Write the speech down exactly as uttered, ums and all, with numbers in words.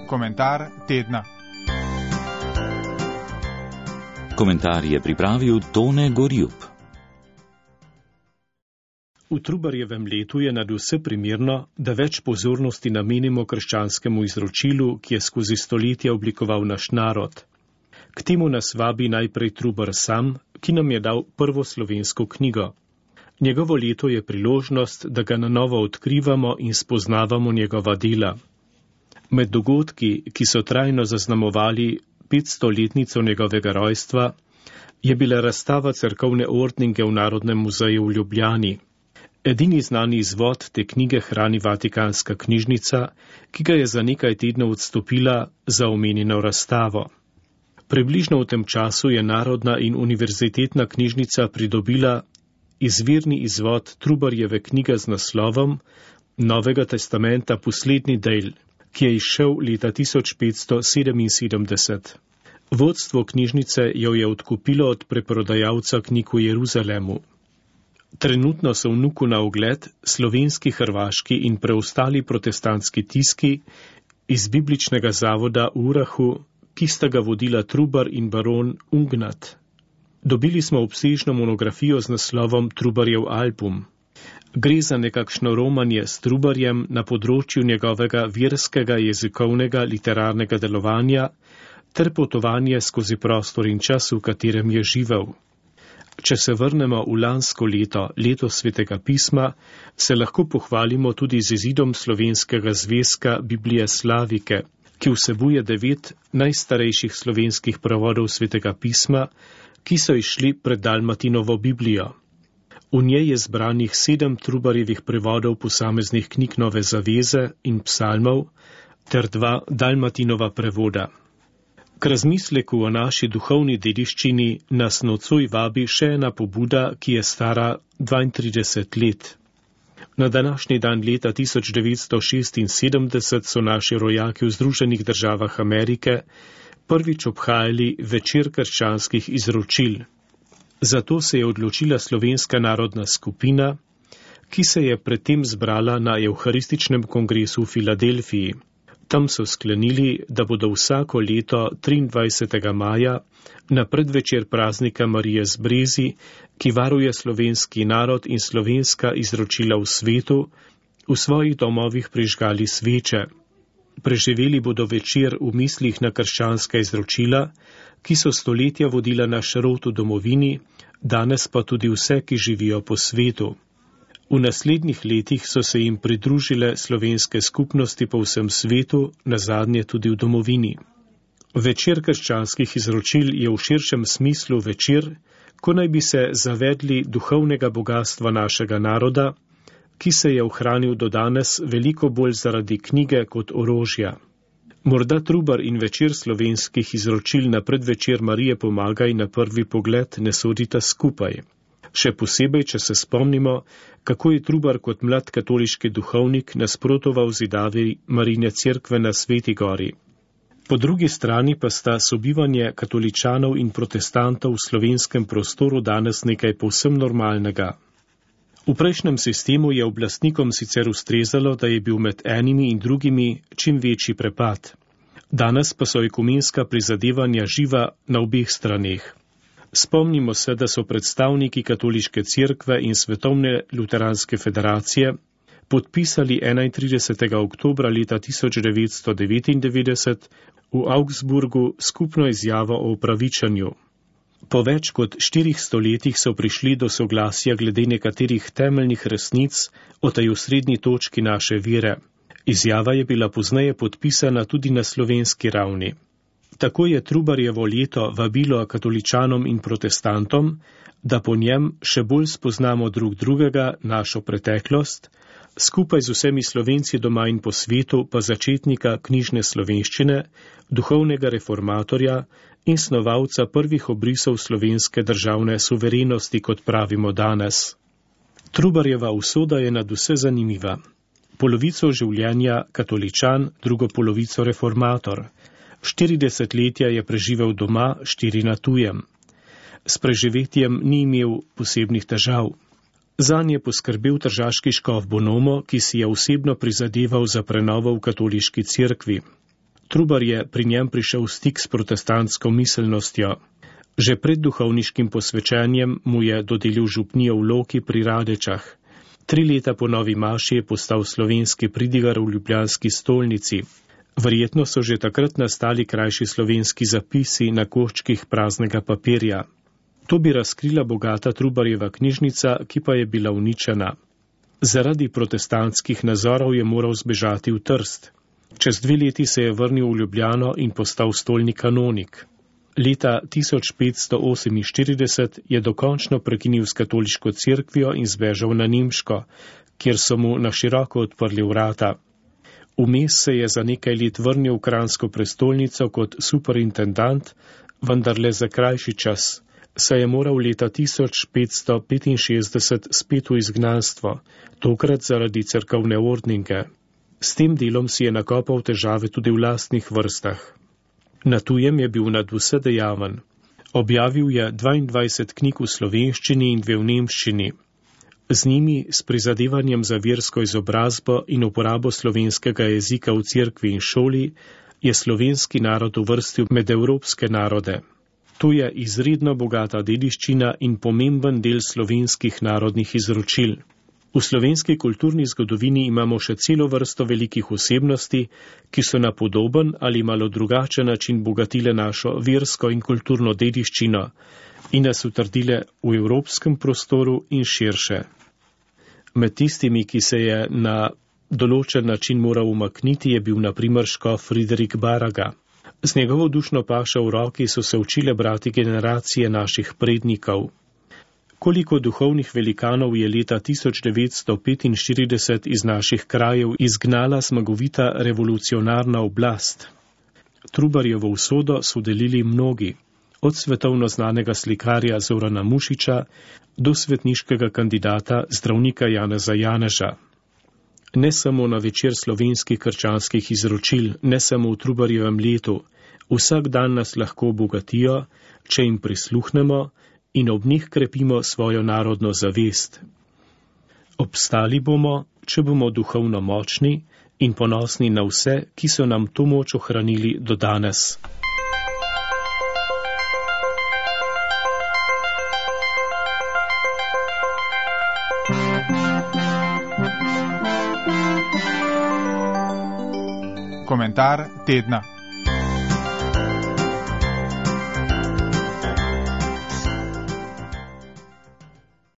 Komentar tedna. Komentar je pripravil Tone Gorjup. V Trubarjevem letu je nadvse primerno, da več pozornosti namenimo krščanskemu izročilu, ki je skozi stoletja oblikoval naš narod. K temu nas vabi najprej Trubar sam, ki nam je dal prvo slovensko knjigo. Njegovo leto je priložnost, da ga na novo odkrivamo in spoznavamo njegova dela. Med dogodki, ki so trajno zaznamovali petstoletnico njegovega rojstva, je bila razstava cerkovne ordninge v Narodnem muzeju v Ljubljani. Edini znani izvod te knjige hrani Vatikanska knjižnica, ki ga je za nekaj tednov odstopila za omenjeno razstavo. Približno v tem času je Narodna in univerzitetna knjižnica pridobila izvirni izvod Trubarjeve knjige z naslovom Novega testamenta poslednji del, ki je izšel leta tisoč petsto sedeminsedemdeset. Vodstvo knjižnice jo je odkupilo od preprodajalca knjig v Jeruzalemu. Trenutno so vnuku na ogled slovenski, hrvaški in preostali protestantski tiski iz bibličnega zavoda v Urahu, ki sta ga vodila Trubar in baron Ungnat. Dobili smo obsežno monografijo z naslovom Trubarjev album. Gre za nekakšno romanje s Trubarjem na področju njegovega verskega, jezikovnega, literarnega delovanja ter potovanje skozi prostor in čas, v katerem je živel. Če se vrnemo v lansko leto, leto Svetega pisma, se lahko pohvalimo tudi z izidom slovenskega zvezka Biblije Slavike, ki vsebuje devet najstarejših slovenskih prevodov Svetega pisma, ki so išli pred Dalmatinovo Biblijo. V njej je zbranih sedem Trubarjevih prevodov posameznih knjig Nove zaveze in psalmov ter dva Dalmatinova prevoda. K razmisleku o naši duhovni dediščini nas nocoj vabi še ena pobuda, ki je stara dvaintrideset let. Na današnji dan leta tisoč devetsto šestinsedemdeset so naši rojaki v Združenih državah Amerike prvič obhajali večer krščanskih izročil. Zato se je odločila slovenska narodna skupina, ki se je predtem zbrala na Evharističnem kongresu v Filadelfiji. Tam so sklenili, da bodo vsako leto triindvajsetega maja na predvečer praznika Marije z Brezi, ki varuje slovenski narod in slovenska izročila v svetu, v svojih domovih prižgali sveče. Preživeli bodo večer v mislih na krščanska izročila, ki so stoletja vodila naš rod v domovini, danes pa tudi vse, ki živijo po svetu. V naslednjih letih so se jim pridružile slovenske skupnosti po vsem svetu, nazadnje tudi v domovini. Večer krščanskih izročil je v širšem smislu večer, ko naj bi se zavedli duhovnega bogatstva našega naroda, ki se je ohranil do danes veliko bolj zaradi knjige kot orožja. Morda Trubar in večer slovenskih izročil na predvečer Marije pomagaj na prvi pogled ne sodita skupaj. Še posebej, če se spomnimo, kako je Trubar kot mlad katoliški duhovnik nasprotoval zidavi Marijine cerkve na Sveti gori. Po drugi strani pa sta sobivanje katoličanov in protestantov v slovenskem prostoru danes nekaj povsem normalnega. V prejšnjem sistemu je oblastnikom sicer ustrezalo, da je bil med enimi in drugimi čim večji prepad. Danes pa so ekumenska prizadevanja živa na obeh straneh. Spomnimo se, da so predstavniki katoliške cerkve in Svetovne luteranske federacije podpisali enaintridesetega oktobra leta tisoč devetsto devetindevetdeset v Augsburgu skupno izjavo o opravičanju. Po več kot štirih stoletjih so prišli do soglasja glede nekaterih temeljnih resnic o tej osrednji točki naše vere. Izjava je bila pozneje podpisana tudi na slovenski ravni. Tako je Trubarjevo leto vabilo katoličanom in protestantom, da po njem še bolj spoznamo drug drugega, našo preteklost, skupaj z vsemi Slovenci doma in po svetu pa začetnika knjižne slovenščine, duhovnega reformatorja in snovalca prvih obrisov slovenske državne suverenosti, kot pravimo danes. Trubarjeva usoda je nadvse zanimiva. Polovico življenja katoličan, drugo polovico reformator. Štiri desetletja je preživel doma, štiri na tujem. S preživetjem ni imel posebnih težav. Zanj je poskrbel tržaški škof Bonomo, ki si je osebno prizadeval za prenovo v katoliški cerkvi. Trubar je pri njem prišel v stik s protestantsko miselnostjo. Že pred duhovniškim posvečenjem mu je dodelil župnijo v Loki pri Radečah. Tri leta po novi maši je postal slovenski pridigar v ljubljanski stolnici. Verjetno so že takrat nastali krajši slovenski zapisi na koščkih praznega papirja. To bi razkrila bogata Trubarjeva knjižnica, ki pa je bila uničena. Zaradi protestantskih nazorov je moral zbežati v Trst. Čez dve leti se je vrnil v Ljubljano in postal stolni kanonik. Leta tisoč petsto oseminštirideset je dokončno prekinil s katoliško cerkvijo in zbežal na Nemško, kjer so mu na široko odprli vrata. Vmes se je za nekaj let vrnil v Kranjsko prestolnico kot superintendant, vendar le za krajši čas, saj je moral leta tisoč petsto petinšestdeset spet v izgnanstvo, tokrat zaradi cerkovne ordninge. S tem delom si je nakopal težave tudi v lastnih vrstah. Na tujem je bil nadvse dejaven. Objavil je dvaindvajset knjig v slovenščini in dve v nemščini. Z njimi, s prizadevanjem za versko izobrazbo in uporabo slovenskega jezika v cerkvi in šoli, je slovenski narod uvrstil med evropske narode. To je izredno bogata dediščina in pomemben del slovenskih narodnih izročil. V slovenski kulturni zgodovini imamo še celo vrsto velikih osebnosti, ki so na podoben ali malo drugačen način bogatile našo versko in kulturno dediščino in nas utrdile v evropskem prostoru in širše. Med tistimi, ki se je na določen način moral umakniti, je bil na primer škof Friderik Baraga. Z njegovo dušno pašo v roki so se učile brati generacije naših prednikov. Koliko duhovnih velikanov je leta tisoč devetsto petinštirideset iz naših krajev izgnala zmagovita revolucionarna oblast. Trubarjevo usodo so delili mnogi, od svetovno znanega slikarja Zorana Mušiča do svetniškega kandidata zdravnika Janeza Janeža. Ne samo na večer slovenskih krščanskih izročil, ne samo v Trubarjevem letu, vsak dan nas lahko obogatijo, če jim prisluhnemo in ob njih krepimo svojo narodno zavest. Obstali bomo, če bomo duhovno močni in ponosni na vse, ki so nam to moč ohranili do danes. Komentar tedna.